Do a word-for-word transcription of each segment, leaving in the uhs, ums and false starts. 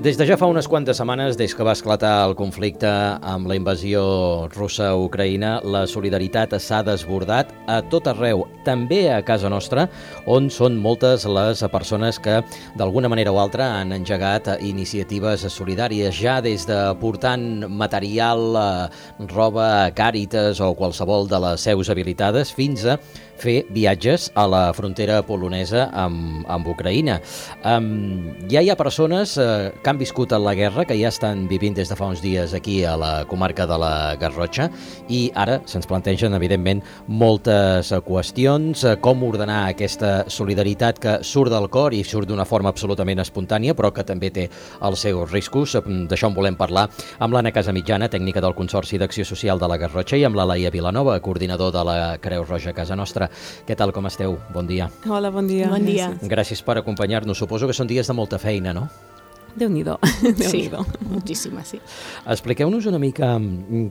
Des de ja fa unes quantes setmanes, des que va esclatar el conflicte amb la invasió russa a Ucraïna, la solidaritat s'ha desbordat a tot arreu, també a casa nostra, on són moltes les persones que d'alguna manera o altra han engegat iniciatives solidàries, ja des de portant material, roba, Càritas o qualsevol de les seus habilitades, fins a fer viatges a la frontera polonesa amb, amb Ucraïna. Um, ja hi ha persones uh, que han viscut a la guerra, que ja estan vivint des de fa uns dies aquí a la comarca de la Garrotxa, i ara se'ns plantegen, evidentment, moltes qüestions, uh, com ordenar aquesta solidaritat que surt del cor i surt d'una forma absolutament espontània, però que també té els seus riscos. D'això en volem parlar amb l'Anna Casamitjana, tècnica del Consorci d'Acció Social de la Garrotxa, i amb la Laia Vilanova, coordinador de la Creu Roja a casa nostra. Què tal, com esteu? Bon dia. Hola, bon dia. Bon dia. Gràcies per acompanyar-nos. Suposo que són dies de molta feina, no? Déu-n'hi-do. Sí, moltíssima, sí. Expliqueu-nos una mica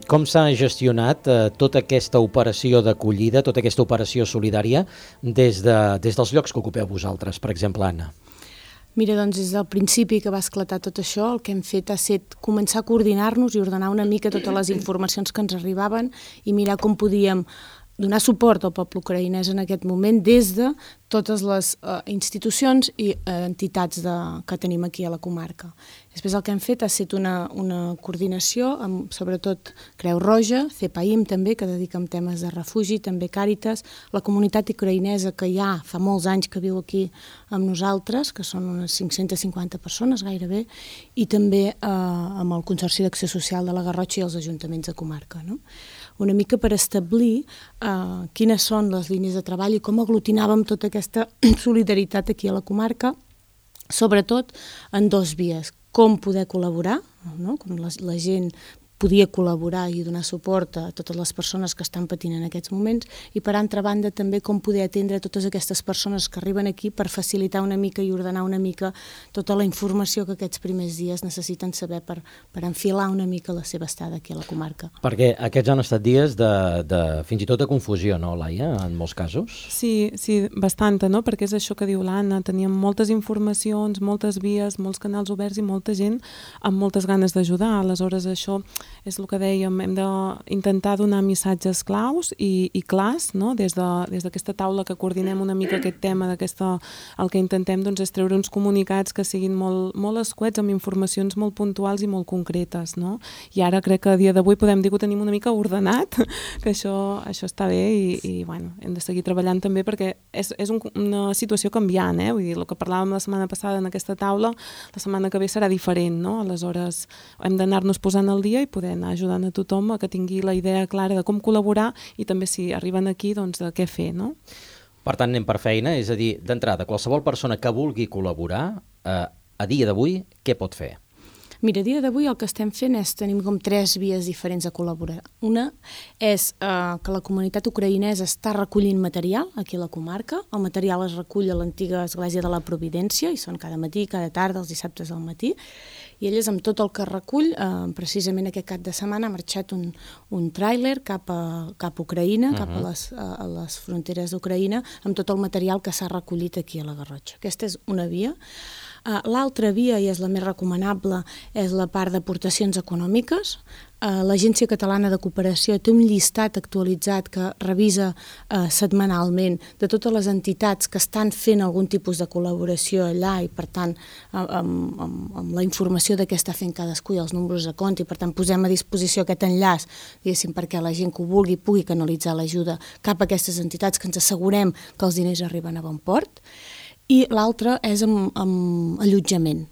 com s'ha gestionat eh, tota aquesta operació d'acollida, tota aquesta operació solidària des, de, des dels llocs que ocupeu vosaltres, per exemple, Anna. Mira, doncs des del principi que va esclatar tot això, el que hem fet ha estat començar a coordinar-nos i ordenar una mica totes les informacions que ens arribaven i mirar com podíem donar suport al poble ucraïnès en aquest moment des de totes les uh, institucions i uh, entitats de, que tenim aquí a la comarca. Després el que hem fet ha estat una, una coordinació amb, sobretot, Creu Roja, CEPAIM també, que dedica a temes de refugi, també Càritas, la comunitat ucraïnesa que ja fa molts anys que viu aquí amb nosaltres, que són unes cinc-centes cinquanta persones gairebé, i també uh, amb el Consorci d'Acció Social de la Garrotxa i els ajuntaments de comarca, no? Una mica per establir uh, quines són les línies de treball i com aglutinàvem tota aquesta solidaritat aquí a la comarca, sobretot en dos vies. Com poder col·laborar, no? Com la, la gent podia col·laborar i donar suport a totes les persones que estan patint en aquests moments, i per altra banda també com poder atendre totes aquestes persones que arriben aquí per facilitar una mica i ordenar una mica tota la informació que aquests primers dies necessiten saber per, per enfilar una mica la seva estada aquí a la comarca. Perquè aquests han estat dies de, de fins i tot de confusió, no, Laia, en molts casos? Sí, sí, bastanta, no? Perquè és això que diu l'Anna, teníem moltes informacions, moltes vies, molts canals oberts i molta gent amb moltes ganes d'ajudar. Aleshores, això és el que dèiem, hem d'intentar donar missatges claus i, i clars, no? Des de, des d'aquesta taula que coordinem una mica aquest tema, d'aquesta, el que intentem doncs, és treure uns comunicats que siguin molt, molt escuets, amb informacions molt puntuals i molt concretes, no? I ara crec que a dia d'avui podem dir que ho tenim una mica ordenat, que això, això està bé i, i bueno, hem de seguir treballant també perquè és, és un, una situació canviant, eh? Vull dir, el que parlàvem la setmana passada en aquesta taula, la setmana que ve serà diferent, no? Aleshores hem d'anar-nos posant al dia i poder anar ajudant a tothom a que tingui la idea clara de com col·laborar i també si arriben aquí, doncs, de què fer, no? Per tant, anem per feina, és a dir, d'entrada, qualsevol persona que vulgui col·laborar, eh, a dia d'avui, què pot fer? Mira, a dia d'avui el que estem fent és, tenim com tres vies diferents de col·laborar. Una és eh, que la comunitat ucraïnesa està recollint material aquí a la comarca. El material es recull a l'antiga església de la Providència i són cada matí, cada tarda, els dissabtes al matí. I elles, amb tot el que recull, eh, precisament aquest cap de setmana ha marxat un, un tràiler cap a, cap a Ucraïna, uh-huh. cap a les, a, a les fronteres d'Ucraïna, amb tot el material que s'ha recollit aquí a la Garrotxa. Aquesta és una via. Uh, L'altra via, i és la més recomanable, és la part d'aportacions econòmiques. Uh, L'Agència Catalana de Cooperació té un llistat actualitzat que revisa uh, setmanalment de totes les entitats que estan fent algun tipus de col·laboració allà i, per tant, uh, amb, amb, amb la informació de què està fent cadascú i els números de compte, i, per tant, posem a disposició aquest enllaç, diguéssim, perquè la gent que ho vulgui pugui canalitzar l'ajuda cap a aquestes entitats, que ens assegurem que els diners arriben a bon port. I l'altre és amb, amb allotjament.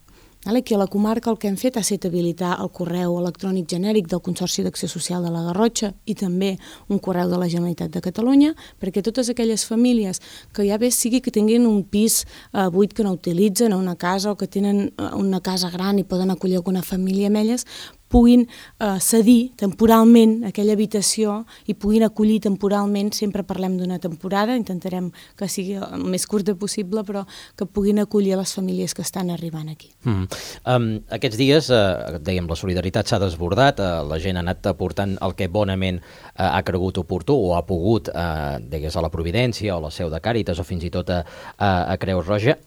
Aquí a la comarca el que hem fet ha estat habilitar el correu electrònic genèric del Consorci d'Acció Social de la Garrotxa i també un correu de la Generalitat de Catalunya, perquè totes aquelles famílies que ja bé sigui que tinguin un pis eh, buit que no utilitzen, o una casa, o que tenen una casa gran i poden acollir alguna família amb elles, puguin eh, cedir temporalment aquella habitació i puguin acollir temporalment, sempre parlem d'una temporada, intentarem que sigui el més curta possible, però que puguin acollir les famílies que estan arribant aquí. Mm. Um, aquests dies, eh, dèiem, la solidaritat s'ha desbordat, eh, la gent ha anat aportant el que bonament eh, ha cregut oportú o ha pogut, eh, digues, a la Providència o a la seu de Càritas o fins i tot a, a, a Creu Roja.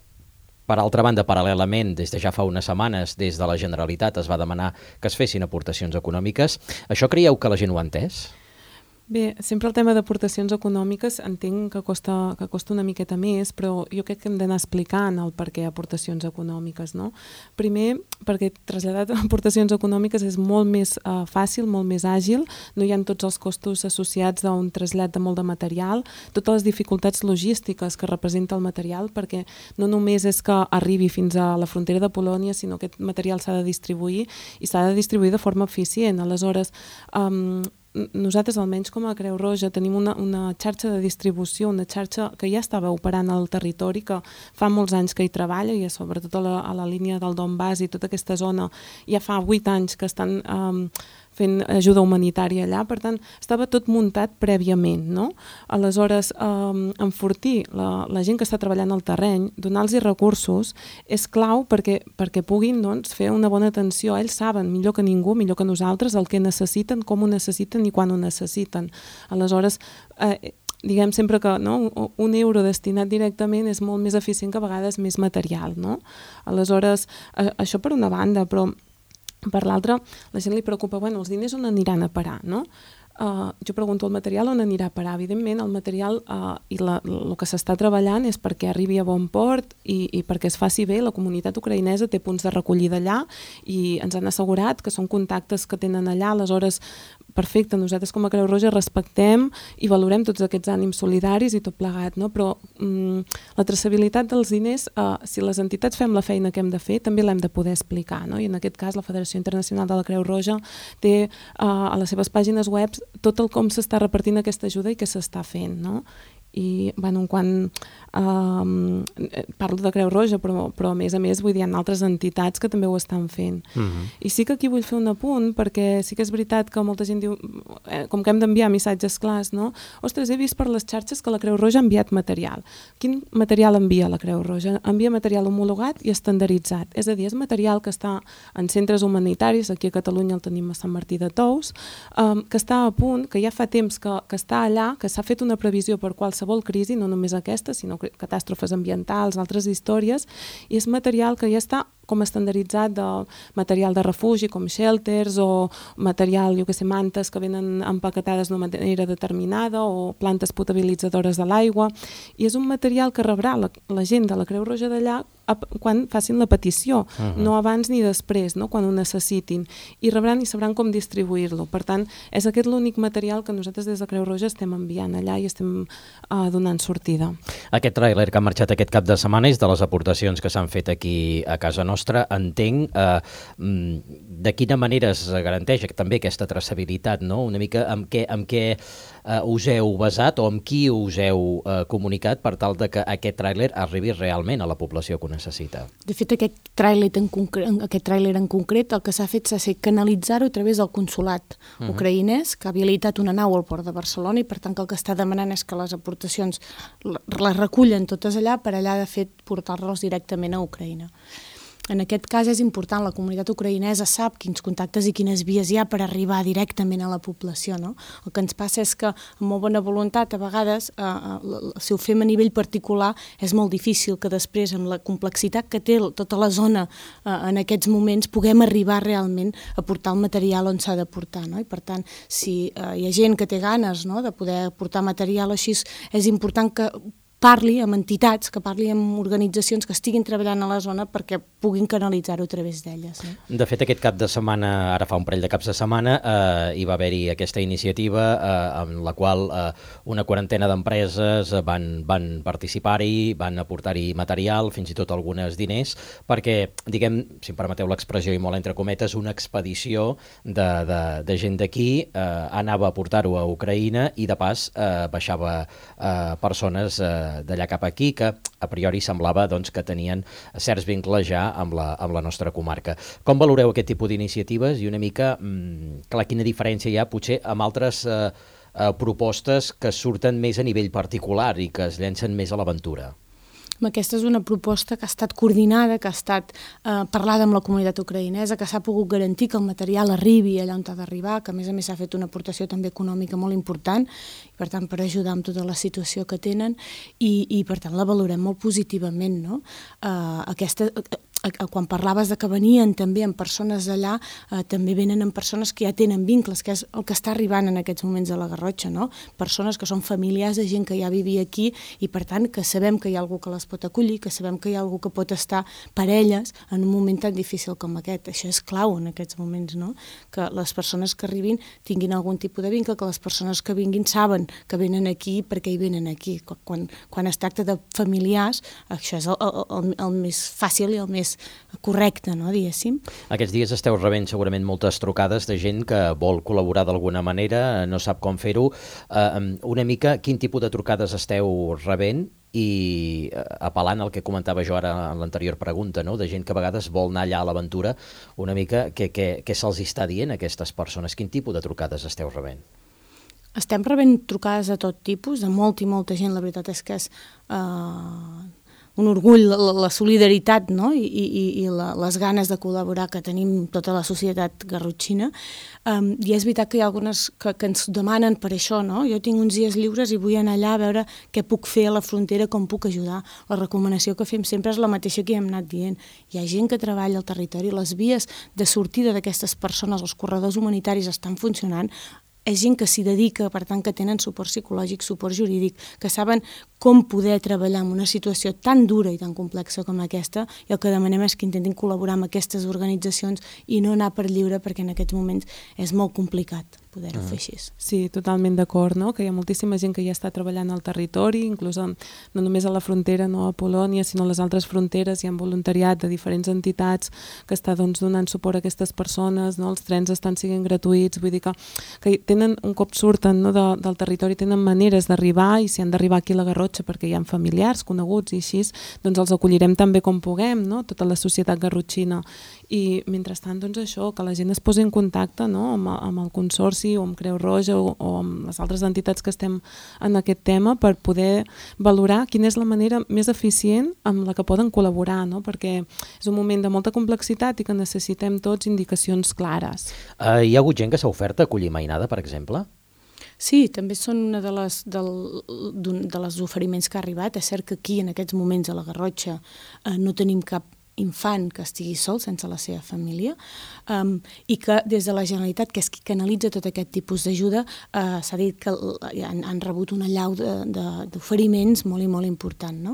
Per altra banda, paral·lelament, des de ja fa unes setmanes, des de la Generalitat es va demanar que es fessin aportacions econòmiques. Això creieu que la gent ho ha entès? Bé, sempre el tema d'aportacions econòmiques entenc que costa, que costa una miqueta més, però jo crec que hem d'anar explicant el per què aportacions econòmiques, no? Primer, perquè traslladar aportacions econòmiques és molt més uh, fàcil, molt més àgil, no hi ha tots els costos associats d'un trasllat de molt de material, totes les dificultats logístiques que representa el material, perquè no només és que arribi fins a la frontera de Polònia, sinó que aquest material s'ha de distribuir i s'ha de distribuir de forma eficient. Aleshores, um, nosaltres, almenys com a Creu Roja, tenim una, una xarxa de distribució, una xarxa que ja estava operant al territori, que fa molts anys que hi treballa, i sobretot a la, a la línia del Donbass i tota aquesta zona, ja fa vuit anys que estan um, fent ajuda humanitària allà, per tant, estava tot muntat prèviament, no? Aleshores, um, enfortir la, la gent que està treballant al terreny, donar-los recursos, és clau perquè, perquè puguin, doncs, fer una bona atenció. Ells saben, millor que ningú, millor que nosaltres, el que necessiten, com ho necessiten i quan ho necessiten. Aleshores, eh, diguem sempre que no, un euro destinat directament és molt més eficient que a vegades més material, no? Aleshores, eh, això per una banda, però per l'altra, la gent li preocupa, bueno, els diners on aniran a parar, no? Uh, jo pregunto, el material on anirà a parar? Evidentment, el material uh, i la, el que s'està treballant és perquè arribi a bon port i, i perquè es faci bé. La comunitat ucraïnesa té punts de recollida allà i ens han assegurat que són contactes que tenen allà. Aleshores, perfecte, nosaltres com a Creu Roja respectem i valorem tots aquests ànims solidaris i tot plegat, no? Però mm, la traçabilitat dels diners, uh, si les entitats fem la feina que hem de fer, també l'hem de poder explicar, no? I en aquest cas la Federació Internacional de la Creu Roja té uh, a les seves pàgines web tot el com s'està repartint aquesta ajuda i què s'està fent, no? I, bueno, quan um, parlo de Creu Roja, però, però a més a més vull dir, hi ha altres entitats que també ho estan fent. Uh-huh. I sí que aquí vull fer un apunt, perquè sí que és veritat que molta gent diu, eh, com que hem d'enviar missatges clars, no? Ostres, he vist per les xarxes que la Creu Roja ha enviat material. Quin material envia la Creu Roja? Envia material homologat i estandarditzat. És a dir, és material que està en centres humanitaris, aquí a Catalunya el tenim a Sant Martí de Tous, um, que està a punt, que ja fa temps que, que està allà, que s'ha fet una previsió per qualsevol crisi, no només aquesta, sinó catàstrofes ambientals, altres històries, i és material que ja està com estandarditzat de material de refugi, com shelters, o material, jo que sé, mantes que venen empaquetades d'una manera determinada, o plantes potabilitzadores de l'aigua, i és un material que rebrà la, la gent de la Creu Roja d'allà quan facin la petició, uh-huh. no abans ni després, no? Quan ho necessitin, i rebran i sabran com distribuir-lo. Per tant, és aquest l'únic material que nosaltres des de Creu Roja estem enviant allà i estem uh, donant sortida. Aquest tràiler que ha marxat aquest cap de setmana és de les aportacions que s'han fet aquí a casa nostra. Entenc eh, de quina manera es garanteix també aquesta traçabilitat, no? Una mica amb què, amb què eh, us heu basat o amb qui us heu eh, comunicat per tal de que aquest tràiler arribi realment a la població que ho necessita. De fet, aquest tràiler en, concret, aquest tràiler en concret, el que s'ha fet s'ha fet canalitzar-ho a través del consolat uh-huh. ucraïnès, que ha habilitat una nau al port de Barcelona, i per tant que el que està demanant és que les aportacions les recullen totes allà, per allà de fet portar-les directament a Ucraïna. En aquest cas és important, la comunitat ucraïnesa sap quins contactes i quines vies hi ha per arribar directament a la població, no? El que ens passa és que, amb molt bona voluntat, a vegades, eh, si ho fem a nivell particular, és molt difícil que després, amb la complexitat que té tota la zona eh, en aquests moments, puguem arribar realment a portar el material on s'ha de portar, no? I per tant, si eh, hi ha gent que té ganes, no?, de poder portar material així, és important que parli amb entitats, que parli amb organitzacions que estiguin treballant a la zona perquè puguin canalitzar-ho a través d'elles. No? De fet, aquest cap de setmana, ara fa un parell de caps de setmana, eh, hi va haver-hi aquesta iniciativa eh, en la qual eh, una quarantena d'empreses van, van participar-hi, van aportar-hi material, fins i tot algunes diners, perquè, diguem, si em permeteu l'expressió i molt entre cometes, una expedició de, de, de gent d'aquí eh, anava a portar-ho a Ucraïna i de pas eh, baixava eh, persones eh, d'allà cap aquí, que a priori semblava doncs, que tenien certs vincles ja amb la, amb la nostra comarca. Com valoreu aquest tipus d'iniciatives i una mica, mmm, clar, quina diferència hi ha potser amb altres eh, eh, propostes que surten més a nivell particular i que es llencen més a l'aventura? Aquesta és una proposta que ha estat coordinada, que ha estat eh, parlada amb la comunitat ucraïnesa, que s'ha pogut garantir que el material arribi allà on ha d'arribar, que a més a més s'ha fet una aportació també econòmica molt important, i per tant per ajudar amb tota la situació que tenen, i, i per tant la valorem molt positivament, no? Eh, aquesta... Quan parlaves de que venien també amb persones d'allà, eh, també venen amb persones que ja tenen vincles, que és el que està arribant en aquests moments a la Garrotxa, no? Persones que són familiars de gent que ja vivia aquí i per tant que sabem que hi ha algú que les pot acollir, que sabem que hi ha algú que pot estar per elles en un moment tan difícil com aquest. Això és clau en aquests moments, no? Que les persones que arribin tinguin algun tipus de vincle, que les persones que vinguin saben que venen aquí perquè hi venen aquí. Quan, quan es tracta de familiars, això és el, el, el més fàcil i el més correcte, no, diguéssim. Aquests dies esteu rebent segurament moltes trucades de gent que vol col·laborar d'alguna manera, no sap com fer-ho. Uh, una mica, quin tipus de trucades esteu rebent? I uh, apel·lant al que comentava jo ara en l'anterior pregunta, no? De gent que a vegades vol anar allà a l'aventura, una mica què, què, què se'ls està dient a aquestes persones? Quin tipus de trucades esteu rebent? Estem rebent trucades de tot tipus, de molta i molta gent. La veritat és que és... Uh... un orgull, la, la solidaritat, no? I, i, i la, les ganes de col·laborar que tenim tota la societat garrotxina. Um, I és veritat que hi ha algunes que, que ens demanen per això, no? Jo tinc uns dies lliures i vull anar allà a veure què puc fer a la frontera, com puc ajudar. La recomanació que fem sempre és la mateixa que hem anat dient. Hi ha gent que treballa al territori, les vies de sortida d'aquestes persones, els corredors humanitaris estan funcionant, és gent que s'hi dedica, per tant que tenen suport psicològic, suport jurídic, que saben com poder treballar en una situació tan dura i tan complexa com aquesta, i el que demanem és que intentin col·laborar amb aquestes organitzacions i no anar per lliure, perquè en aquests moments és molt complicat poder-ho fer així. Sí, totalment d'acord, no? Que hi ha moltíssima gent que ja està treballant al territori, inclús no només a la frontera, no a Polònia, sinó a les altres fronteres. Hi ha voluntariat de diferents entitats que està doncs, donant suport a aquestes persones, no? Els trens estan sent gratuïts, vull dir que, que tenen, un cop surten, no, de, del territori, tenen maneres d'arribar, i si han d'arribar aquí a la Garrotxa perquè hi ha familiars, coneguts i així, doncs els acollirem també com puguem, no? Tota la societat garrotxina. I mentrestant, doncs això, que la gent es posi en contacte, no? amb, amb el Consorci o amb Creu Roja o, o amb les altres entitats que estem en aquest tema per poder valorar quina és la manera més eficient amb la que poden col·laborar, no? Perquè és un moment de molta complexitat i que necessitem tots indicacions clares. Uh, hi ha hagut gent que s'ha ofert a acollir mainada, per exemple? Sí, també són una de les, del, de les oferiments que ha arribat. És cert que aquí, en aquests moments, a la Garrotxa, eh, no tenim cap infant que estigui sol sense la seva família, um, i que des de la Generalitat, que és qui canalitza tot aquest tipus d'ajuda, uh, s'ha dit que han, han rebut una allau d'oferiments molt i molt important, no?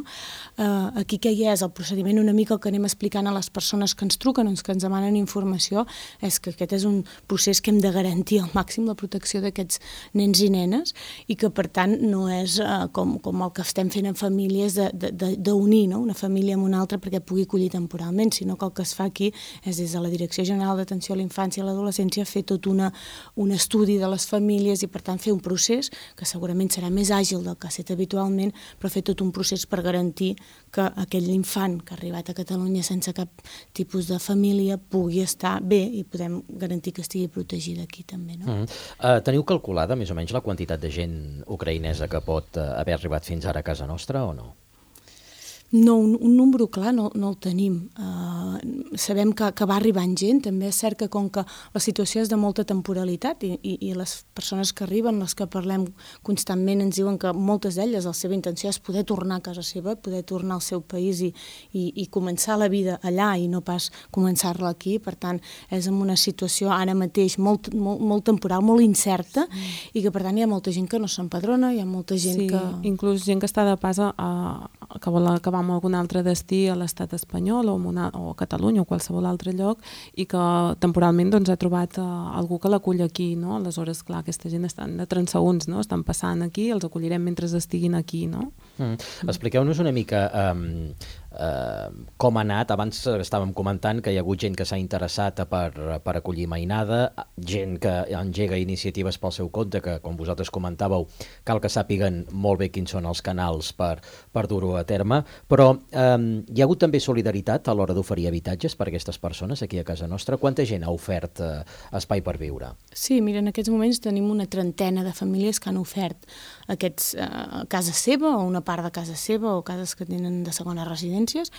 Uh, aquí què hi és? El procediment una mica el que anem explicant a les persones que ens truquen o que ens demanen informació és que aquest és un procés que hem de garantir al màxim la protecció d'aquests nens i nenes i que per tant no és uh, com, com el que estem fent en famílies d'unir, no? Una família amb una altra perquè pugui acollir temporalment, sinó que el que es fa aquí és des de la Direcció General d'Atenció a la Infància i a l'Adolescència fer tot una, un estudi de les famílies i per tant fer un procés que segurament serà més àgil del que ha estat habitualment, però fer tot un procés per garantir que aquell infant que ha arribat a Catalunya sense cap tipus de família pugui estar bé i podem garantir que estigui protegida aquí també, no? Mm-hmm. uh, teniu calculada més o menys la quantitat de gent ucraïnesa que pot uh, haver arribat fins ara a casa nostra o no? No, un, un número clar no, no el tenim. Uh, sabem que, que va arribant gent, també és cert que com que la situació és de molta temporalitat i, i, i les persones que arriben, les que parlem constantment, ens diuen que moltes d'elles la seva intenció és poder tornar a casa seva, poder tornar al seu país i, i, i començar la vida allà i no pas començar-la aquí. Per tant, és en una situació ara mateix molt, molt, molt temporal, molt incerta, sí. I que per tant hi ha molta gent que no s'empadrona, hi ha molta gent sí, que... inclús gent que està de pas a, a, que vol acabar amb algun altre destí a l'estat espanyol o, una, o a Catalunya o qualsevol altre lloc i que temporalment doncs, ha trobat uh, algú que l'acull aquí, no? Aleshores, clar, aquesta gent estan de transeünts, no? Estan passant aquí, els acollirem mentre estiguin aquí, no? Mm. Expliqueu-nos una mica um, eh, com ha anat. Abans estàvem comentant que hi ha hagut gent que s'ha interessat per, per acollir mainada, gent que engega iniciatives pel seu compte, que com vosaltres comentàveu, cal que sàpiguen molt bé quins són els canals per, per dur-ho a terme, però eh, hi ha hagut també solidaritat a l'hora d'oferir habitatges per a aquestes persones aquí a casa nostra. Quanta gent ha ofert eh, espai per viure? Sí, mira, en aquests moments tenim una trentena de famílies que han ofert aquests eh, casa seva o una part de casa seva o cases que tenen de segones residències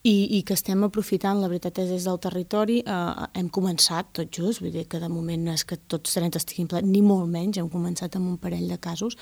i, i que estem aprofitant, la veritat és, des del territori, eh, hem començat tot just, vull dir que de moment no és que tots trenta estiguin plens, ni molt menys, hem començat amb un parell de casos,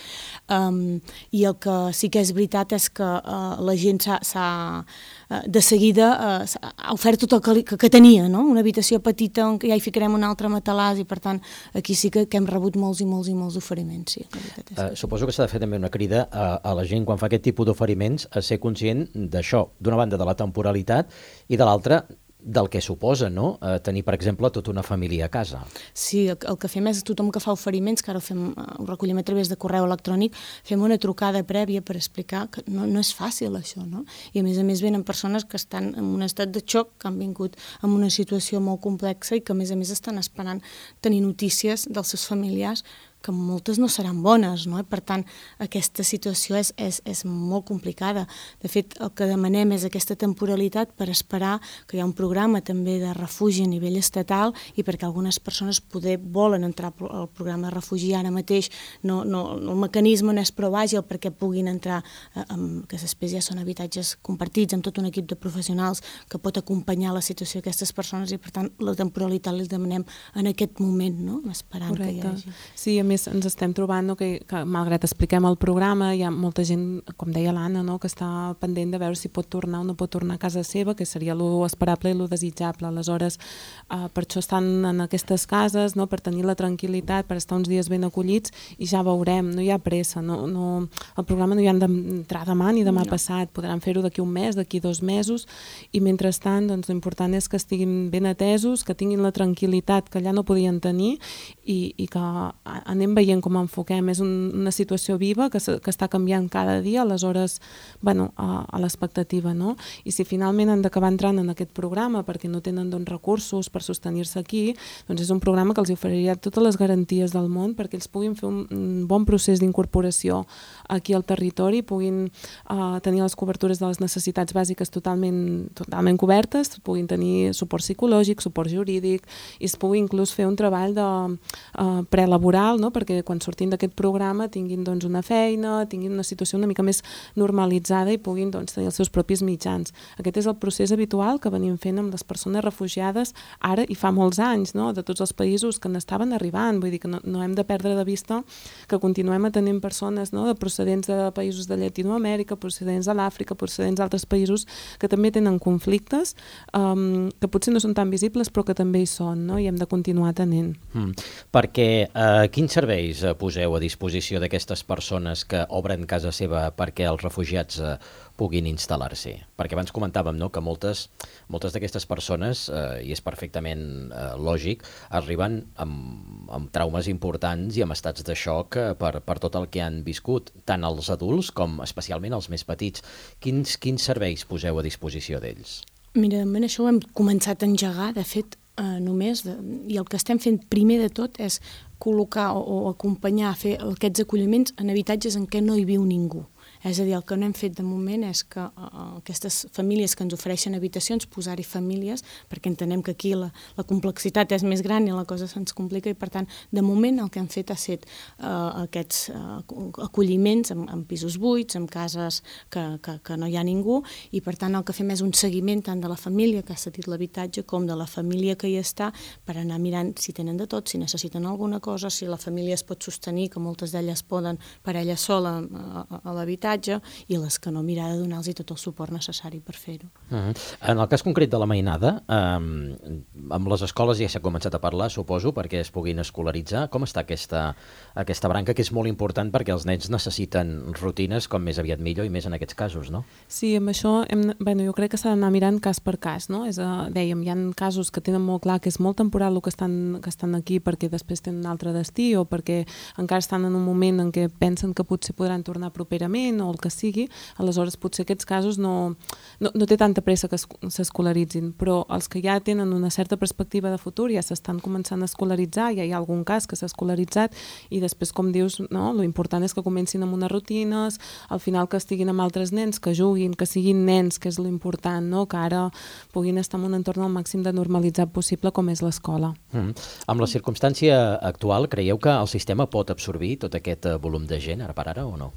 um, i el que sí que és veritat és que uh, la gent s'ha, uh, de seguida uh, ha ofert tot el que, que, que tenia, no? Una habitació petita on ja hi ficarem un altre matalàs i per tant aquí sí que, que hem rebut molts i molts i molts oferiments. Sí, la veritat és que... uh, suposo que s'ha de fer també una crida a, a la gent quan fa aquest tipus d'oferiments a ser conscient d'això, d'una banda de la temporalitat i de l'altra del que suposa, no?, eh, tenir, per exemple, tota una família a casa. Sí, el, el que fem és tothom que fa oferiments, que ara ho, fem, ho recollim a través de correu electrònic, fem una trucada prèvia per explicar que no, no és fàcil això, no? I a més a més venen persones que estan en un estat de xoc, que han vingut en una situació molt complexa i que a més a més estan esperant tenir notícies dels seus familiars que moltes no seran bones, no? I per tant, aquesta situació és, és, és molt complicada. De fet, el que demanem és aquesta temporalitat per esperar que hi ha un programa també de refugi a nivell estatal i perquè algunes persones poder volen entrar al programa de refugi ara mateix, no, no, el mecanisme no és prou àgil perquè puguin entrar, eh, amb, que després ja són habitatges compartits amb tot un equip de professionals que pot acompanyar la situació d'aquestes persones i per tant la temporalitat li demanem en aquest moment, no? Esperant Correcte. Que hi hagi. Sí, a més ens estem trobant no, que, que malgrat expliquem el programa hi ha molta gent, com deia l'Anna, no, que està pendent de veure si pot tornar o no pot tornar a casa seva, que seria lo esperable i lo desitjable. Aleshores, eh, per això estan en aquestes cases, no, per tenir la tranquil·litat, per estar uns dies ben acollits i ja veurem, no hi ha pressa, no, no, el programa no hi han d'entrar demà ni demà no. passat, podran fer-ho d'aquí un mes, d'aquí dos mesos i mentrestant doncs, l'important és que estiguin ben atesos, que tinguin la tranquil·litat que allà no podien tenir i, i que anem veient com enfoquem. És un, una situació viva que, que està canviant cada dia, aleshores, bueno, a, a l'expectativa, no? I si finalment han d'acabar entrant en aquest programa perquè no tenen doncs, recursos per sostenir-se aquí, doncs és un programa que els oferiria totes les garanties del món perquè ells puguin fer un, un bon procés d'incorporació aquí al territori, puguin uh, tenir les cobertures de les necessitats bàsiques totalment, totalment cobertes, puguin tenir suport psicològic, suport jurídic i es pugui inclús fer un treball de uh, prelaboral, no? Perquè quan sortim d'aquest programa tinguin doncs, una feina, tinguin una situació una mica més normalitzada i puguin doncs, tenir els seus propis mitjans. Aquest és el procés habitual que venim fent amb les persones refugiades ara i fa molts anys, no? De tots els països que n'estaven arribant. Vull dir que no, no hem de perdre de vista que continuem atenent persones, no? De procedents de països de Llatinoamèrica, procedents de l'Àfrica, procedents d'altres països que també tenen conflictes um, que potser no són tan visibles però que també hi són, no? I hem de continuar atenent. Mm. Perquè eh, quins serveis poseu a disposició d'aquestes persones que obren casa seva perquè els refugiats eh, puguin instal·lar-s'hi? Perquè abans comentàvem, no?, que moltes, moltes d'aquestes persones, eh, i és perfectament eh, lògic, arriben amb, amb traumes importants i amb estats de xoc eh, per, per tot el que han viscut, tant els adults com especialment els més petits. Quins, quins serveis poseu a disposició d'ells? Mira, en això ho hem començat a engegar, de fet, eh, només, de, i el que estem fent primer de tot és col·locar o, o acompanyar a fer aquests acolliments en habitatges en què no hi viu ningú. És a dir, el que no hem fet de moment és que uh, aquestes famílies que ens ofereixen habitacions, posar-hi famílies, perquè entenem que aquí la, la complexitat és més gran i la cosa se'ns complica i, per tant, de moment el que hem fet ha estat uh, aquests uh, acolliments en, en pisos buits, en cases que, que, que no hi ha ningú i, per tant, el que fem és un seguiment tant de la família que ha cedit l'habitatge com de la família que hi està per anar mirant si tenen de tot, si necessiten alguna cosa, si la família es pot sostenir, que moltes d'elles poden per ella sola a, a, a l'habitatge, i les que no, mirar de donar-los tot el suport necessari per fer-ho. Uh-huh. En el cas concret de la mainada, eh, amb les escoles ja s'ha començat a parlar, suposo, perquè es puguin escolaritzar. Com està aquesta, aquesta branca, que és molt important perquè els nens necessiten rutines com més aviat millor i més en aquests casos, no? Sí, amb això hem, bueno, jo crec que s'ha d'anar mirant cas per cas, no? És, uh, dèiem, hi ha casos que tenen molt clar que és molt temporal el que estan, que estan aquí perquè després tenen un altre destí o perquè encara estan en un moment en què pensen que potser podran tornar properament o el que sigui, aleshores potser aquests casos no, no, no té tanta pressa que s'escolaritzin, però els que ja tenen una certa perspectiva de futur ja s'estan començant a escolaritzar, ja hi ha algun cas que s'ha escolaritzat i després, com dius, no, lo important és que comencin amb unes rutines, al final que estiguin amb altres nens, que juguin, que siguin nens, que és lo important, no? Que ara puguin estar en un entorn al màxim de normalitzat possible com és l'escola. Mm. Amb la circumstància actual, creieu que el sistema pot absorbir tot aquest volum de gent ara per ara o no?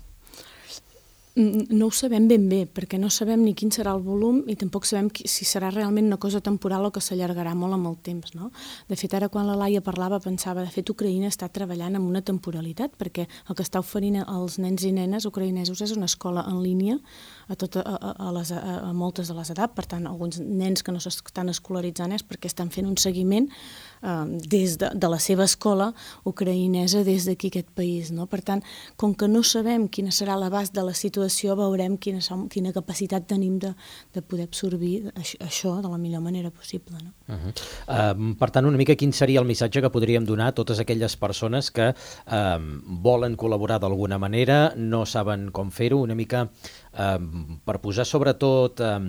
No ho sabem ben bé, perquè no sabem ni quin serà el volum i tampoc sabem si serà realment una cosa temporal o que s'allargarà molt amb el temps, no? De fet, ara quan la Laia parlava pensava, de fet, Ucraïna està treballant amb una temporalitat, perquè el que està oferint als nens i nenes ucraïnesos és una escola en línia a, tot, a, a, les, a, a moltes de les edats, per tant, alguns nens que no s'estan escolaritzant és perquè estan fent un seguiment eh, des de, de la seva escola ucraïnesa des d'aquí aquest país, no? Per tant, com que no sabem quina serà l'abast de la situació, veurem quina, quina capacitat tenim de, de poder absorbir això, això de la millor manera possible. No? Uh-huh. uh, per tant, una mica quin seria el missatge que podríem donar a totes aquelles persones que uh, volen col·laborar d'alguna manera, no saben com fer-ho, una mica uh, per posar sobretot uh,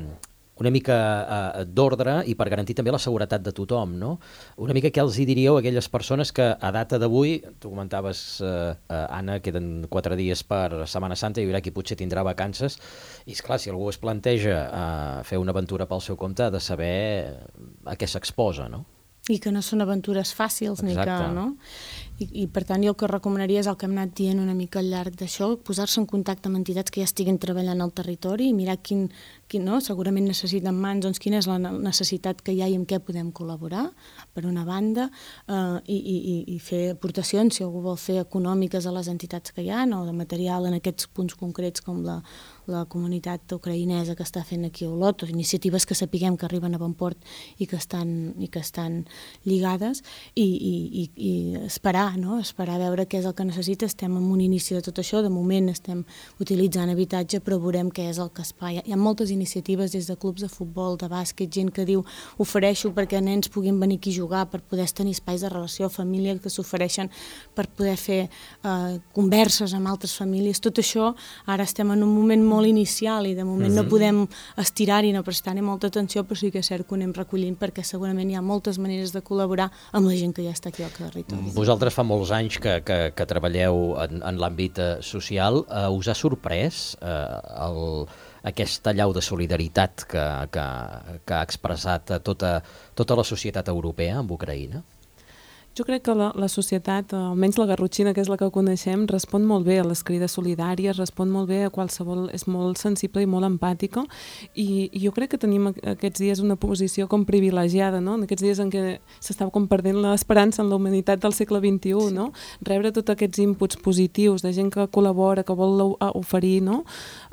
una mica uh, d'ordre i per garantir també la seguretat de tothom, no? Una mica què els hi diríeu a aquelles persones que a data d'avui, tu comentaves, uh, uh, Anna, queden quatre dies per Setmana Santa, hi haurà qui potser tindrà vacances, i esclar, si algú es planteja uh, fer una aventura pel seu compte, ha de saber a què s'exposa, no? I que no són aventures fàcils, Exacte. Ni que, no? I, I per tant jo el que recomanaria és el que hem anat dient una mica al llarg d'això, posar-se en contacte amb entitats que ja estiguin treballant al territori i mirar quin, quin no? Segurament necessiten mans, doncs quina és la necessitat que hi ha i amb què podem col·laborar, per una banda, eh, i, i, i fer aportacions, si algú vol fer econòmiques a les entitats que hi ha, o de material en aquests punts concrets com la, la comunitat ucraïnesa que està fent aquí a Olot, o iniciatives que sapiguem que arriben a bon port i que estan, i que estan lligades, i, i, i, i esperar, no? Esperar a veure què és el que necessita. Estem en un inici de tot això, de moment estem utilitzant habitatge, però veurem què és el que es fa. Hi ha moltes iniciatives des de clubs de futbol, de bàsquet, gent que diu ofereixo perquè nens puguin venir aquí a jugar, per poder tenir espais de relació, família que s'ofereixen per poder fer eh, converses amb altres famílies. Tot això ara estem en un moment molt inicial i de moment mm-hmm. no podem estirar-hi, no prestar-hi molta atenció, però sí que és cert que ho anem recollint perquè segurament hi ha moltes maneres de col·laborar amb la gent que ja està aquí al territori. Vosaltres fa molts anys que, que, que treballeu en, en l'àmbit social. Uh, us ha sorprès uh, el, aquesta allau de solidaritat que, que, que ha expressat tota, tota la societat europea amb Ucraïna? Jo crec que la, la societat, almenys la garrotxina, que és la que coneixem, respon molt bé a les crides solidàries, respon molt bé a qualsevol, és molt sensible i molt empàtica, i, i jo crec que tenim aquests dies una posició com privilegiada, no? En aquests dies en què s'estava com perdent l'esperança en la humanitat del segle vint-i-u, sí. No? Rebre tots aquests inputs positius de gent que col·labora, que vol oferir, no?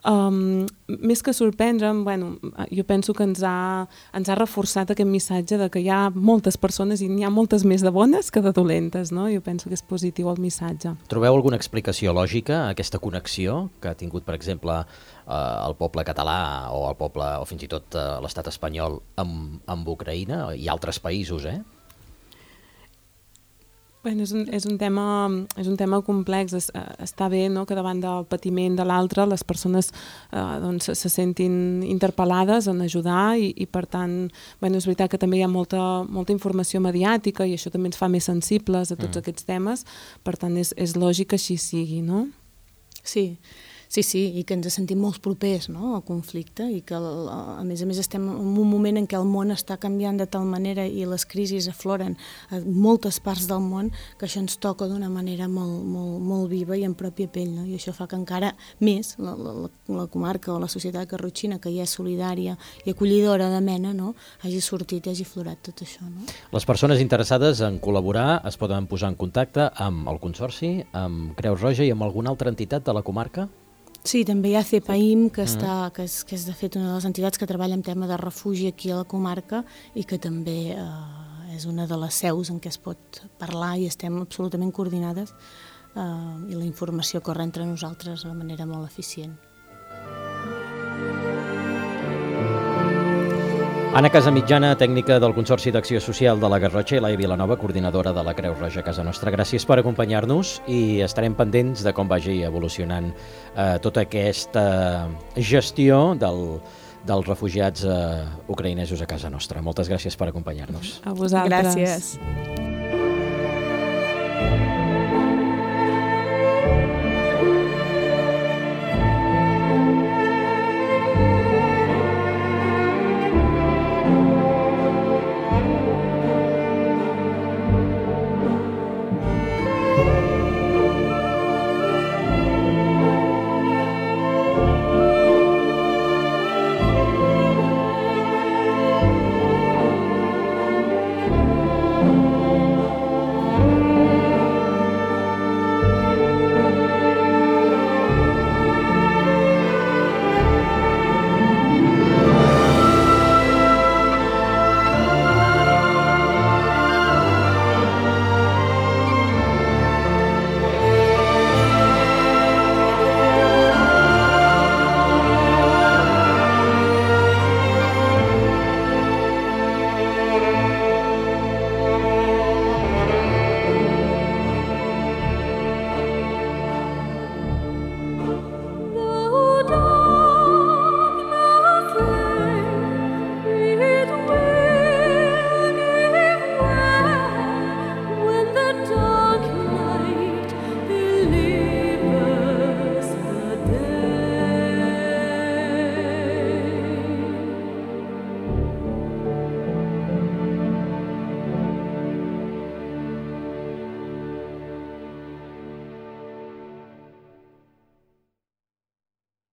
Um, més que sorprendre, bueno, jo penso que ens ha, ens ha reforçat aquest missatge de que hi ha moltes persones i n'hi ha moltes més de bones que de dolentes, no? Jo penso que és positiu el missatge. Trobeu alguna explicació lògica a aquesta connexió que ha tingut, per exemple, eh, el poble català o el poble, o fins i tot eh, l'estat espanyol amb, amb Ucraïna i altres països, eh? Bueno, és un, és un tema, és un tema complex. Es, està bé, no?, que davant del patiment de l'altre les persones eh, doncs, se sentin interpel·lades en ajudar i, i per tant, bueno, és veritat que també hi ha molta, molta informació mediàtica i això també ens fa més sensibles a tots mm. aquests temes, per tant és, és lògic que així sigui, no? Sí. Sí, sí, i que ens sentim molt propers, no?, al conflicte i que, a més a més, estem en un moment en què el món està canviant de tal manera i les crisis afloren a moltes parts del món que això ens toca d'una manera molt, molt, molt viva i en pròpia pell, no? I això fa que encara més la, la, la comarca o la societat garrotxina, que ja és solidària i acollidora de mena, no?, hagi sortit i hagi florat tot això, no? Les persones interessades en col·laborar es poden posar en contacte amb el Consorci, amb Creu Roja i amb alguna altra entitat de la comarca? Sí, també hi ha CEPAIM, que, està, que, és, que és de fet una de les entitats que treballa en tema de refugi aquí a la comarca i que també eh, és una de les seus en què es pot parlar i estem absolutament coordinades eh, i la informació corre entre nosaltres de manera molt eficient. Anna Casamitjana, tècnica del Consorci d'Acció Social de la Garrotxa, i Laia Vilanova, coordinadora de la Creu Roja a casa nostra. Gràcies per acompanyar-nos i estarem pendents de com vagi evolucionant eh, tota aquesta gestió del, dels refugiats eh, ucraïnesos a casa nostra. Moltes gràcies per acompanyar-nos. A vosaltres. Gràcies.